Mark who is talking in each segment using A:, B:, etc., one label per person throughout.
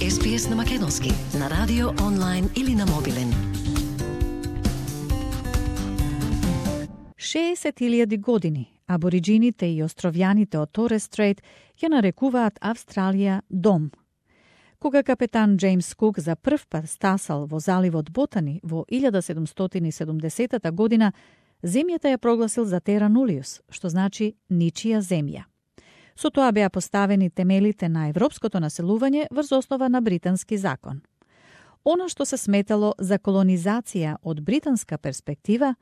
A: SPS на македонски, на радио, онлайн или на мобилен.
B: 60.000 години абориджините и островјаните од Торес Стрейт ја нарекуваат Австралија дом. Кога капетан Джеймс Кук за прв пат стасал во заливот Ботани во 1770 година, земјата ја прогласил за Тера Нулиус, што значи ничија земја. Со тоа беа поставени темелите на европското населување врз основа на британски закон. Она што се сметало за колонизација од британска перспектива,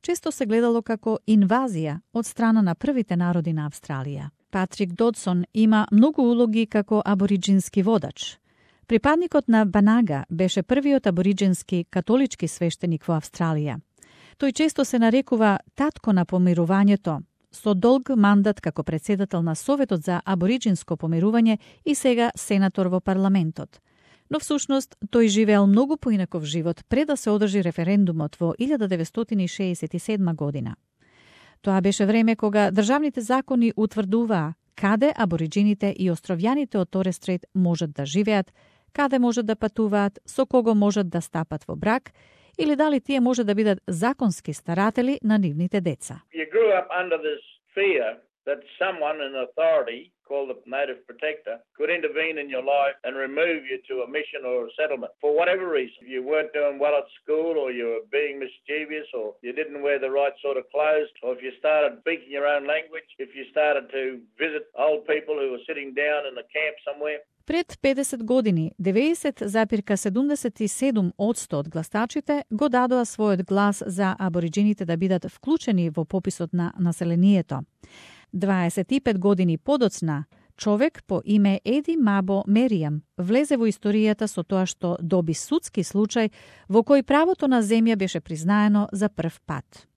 B: често се гледало како инвазија од страна на првите народи на Австралија. Патрик Додсон има многу улоги како абориджински водач. Припадникот на Банага беше првиот абориджински католички свештеник во Австралија. Тој често се нарекува татко на помирувањето, со долг мандат како председател на Советот за абориджинско помирување и сега сенатор во парламентот. Но всушност тој живеел многу поинаков живот пред да се одржи референдумот во 1967 година. Тоа беше време кога државните закони утврдуваа каде абориджините и островјаните од Торес Стрейт можат да живеат, каде можат да патуваат, со кого можат да стапат во брак, или дали тие може да бидат законски старатели на нивните деца.
C: You grew up under this fear that someone in authority, called the Native Protector, could intervene in your life and remove you to a mission or a settlement for whatever reason. If you weren't doing well at school, or you were being mischievous, or you didn't wear the right sort of clothes, or if you started speaking your own language, if you started to visit old people who were sitting down in a camp somewhere.
B: Пред 50 години, 90,77% од гласачите го дадоа својот глас за абориджините да бидат вклучени во пописот на населението. 25 години подоцна, човек по име Еди Мабо Меријам влезе во историјата со тоа што доби судски случај во кој правото на земја беше признаено за прв пат.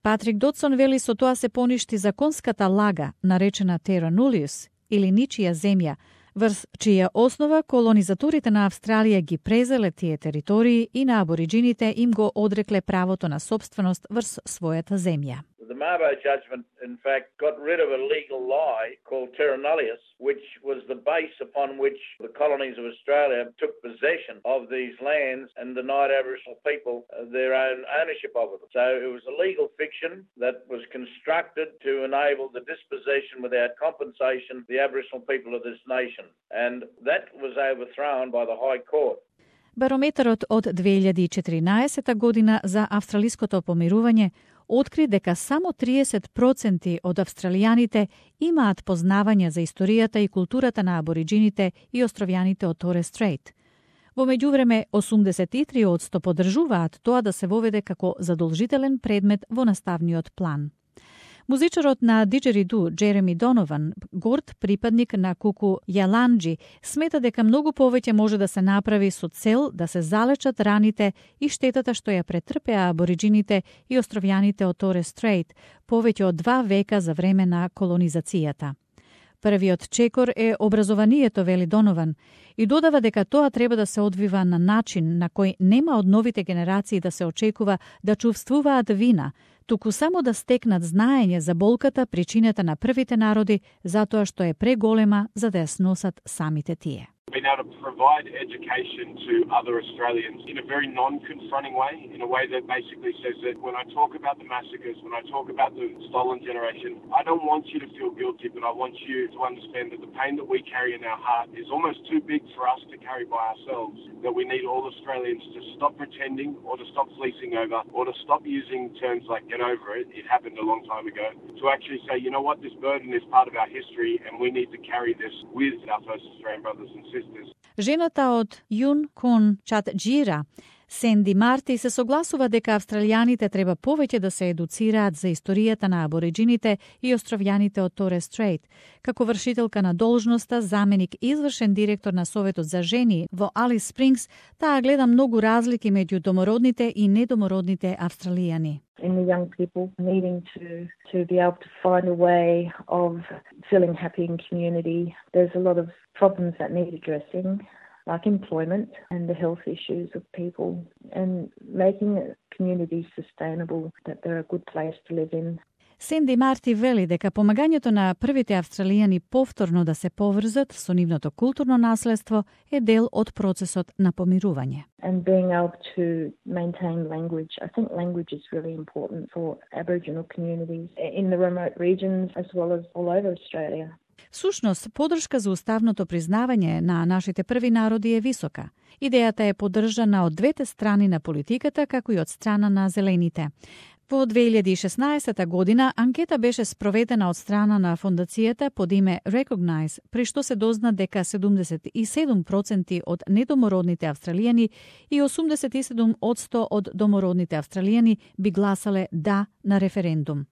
B: Патрик Додсон вели со тоа се поништи законската лага, наречена Terra Nullius, или ничија земја, врз чија основа колонизаторите на Австралија ги презеле тие територии и на абориджините им го одрекле правото на собственост врз својата земја.
C: The Mabo judgment, in fact, got rid of a legal lie called Terra Nullius, which was the base upon which the colonies of Australia took possession of these lands and denied Aboriginal people their own ownership of them. So it was a legal fiction that was constructed to enable the dispossession without compensation of the Aboriginal people of this nation. And that was overthrown by the High Court.
B: Барометарот од 2014 година за австралиското помирување откри дека само 30% од австралијаните имаат познавање за историјата и културата на абориджините и островјаните од Торес Стрейт. Во меѓувреме, 83% поддржуваат тоа да се воведе како задолжителен предмет во наставниот план. Музичарот на диџериду Джереми Донован, горд припадник на куку Јаланџи, смета дека многу повеќе може да се направи со цел да се залечат раните и штетата што ја претрпеа абориджините и островјаните од Торес Стрейт повеќе од 2 века за време на колонизацијата. Првиот чекор е образованието, вели Донован, и додава дека тоа треба да се одвива на начин на кој нема од новите генерации да се очекува да чувствуваат вина, туку само да стекнат знаење за болката, причината на првите народи, затоа што е преголема за да ја сносат самите тие.
D: Being able to provide education to other Australians in a very non-confronting way, in a way that basically says that when I talk about the massacres, when I talk about the stolen generation, I don't want you to feel guilty, but I want you to understand that the pain that we carry in our heart is almost too big for us to carry by ourselves, that we need all Australians to stop pretending or to stop fleecing over or to stop using terms like get over it, it happened a long time ago, to actually say, you know what, this burden is part of our history and we need to carry this with our first Australian brothers and sisters.
B: Жената од Јун Кун Чатџира, Сенди Марти, се согласува дека австралијаните треба повеќе да се едуцираат за историјата на абориджините и островјаните од Торес Стрейт. Како вршителка на должноста, заменик извршен директор на Советот за жени во Алис Спрингс, таа гледа многу разлики меѓу домородните и недомородните австралијани.
E: In the young people needing to be able to find a way of feeling happy in community. There's a lot of problems that need addressing, like employment and the health issues of people, and making communities sustainable, that they're a good place to live in.
B: Сенди Марти вели дека помагањето на првите австралијани повторно да се поврзат со нивното културно наследство е дел од процесот на помирување.
E: And being able to maintain language. I think language is really important for Aboriginal communities in the remote regions as well as all over Australia.
B: Всушност, подршка за уставното признавање на нашите први народи е висока. Идејата е поддржана од двете страни на политиката, како и од страна на зелените. Во 2016 година анкета беше спроведена од страна на фондацијата под име Recognize, при што се дозна дека 77% од недомородните австралијани и 87% од домородните австралијани би гласале да на референдум.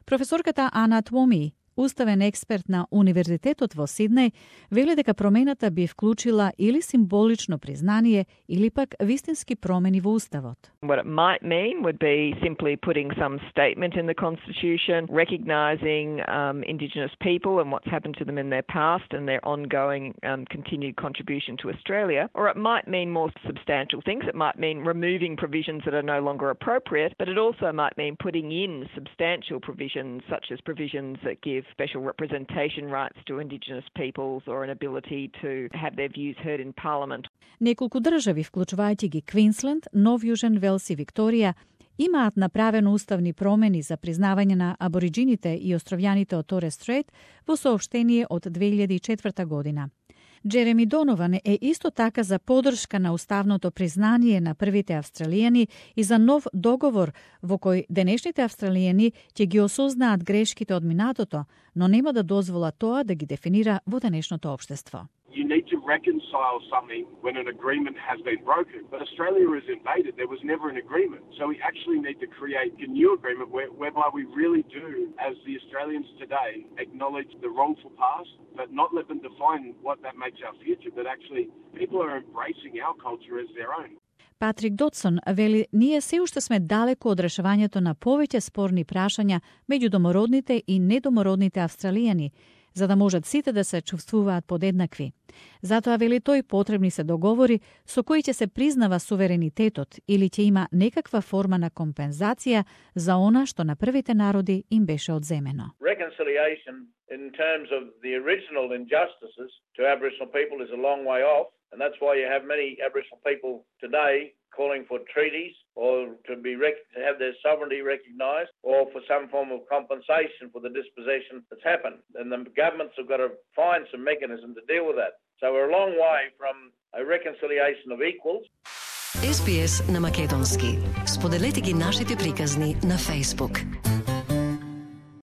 B: Професорката Ана Твоми, уставен експерт на Универзитетот во Сиднеј, вели дека промената би вклучила или символично признание или пак вистински промени во уставот.
F: What it might mean would be simply putting some statement in the Constitution, recognising Indigenous people and what's happened to them in their past and their ongoing continued contribution to Australia. Or it might mean more substantial things. It might mean removing provisions that are no longer appropriate, but it also might mean putting in substantial provisions, such as provisions that give special representation rights to Indigenous peoples or an ability to have their views heard in Parliament.
B: Неколку држави, вклучувајќи ги Квинсленд, Нов Јужен Велс и Викторија, имаат направено уставни промени за признавање на абориджините и островјаните од Торес Стрейт во соопштение од 2004 година. Джереми Донован е исто така за поддршка на уставното признание на првите австралијани и за нов договор во кој денешните австралијани ќе ги осознаат грешките од минатото, но нема да дозвола тоа да ги дефинира во денешното општество.
D: You need to reconcile something when an agreement has been broken. But Australia is invaded. There was never an agreement. So we actually need to create a new agreement whereby we really do, as the Australians today, acknowledge the wrongful past, but not let them define what that makes our future, but actually people are embracing our culture as their own.
B: Патрик Дотсон вели, ние се уште сме далеко од решавањето на повеќе спорни прашања меѓу домородните и недомородните австралијани, за да можат сите да се чувствуваат подеднакви. Затоа, вели тој, потребни се договори со кои ќе се признава суверенитетот или ќе има некаква форма на компензација за она што на првите народи им беше одземено.
C: Reconciliation in terms of the original injustices to Aboriginal people is a long way off, and that's why you have many Aboriginal people today calling for treaties or to have their sovereignty recognised or for some form of compensation for the dispossession that's happened. And the governments have got to find some mechanism to deal with that. So we're a long way from a reconciliation of equals.
A: SBS на македонски. Споделете ги нашите приказни на Facebook.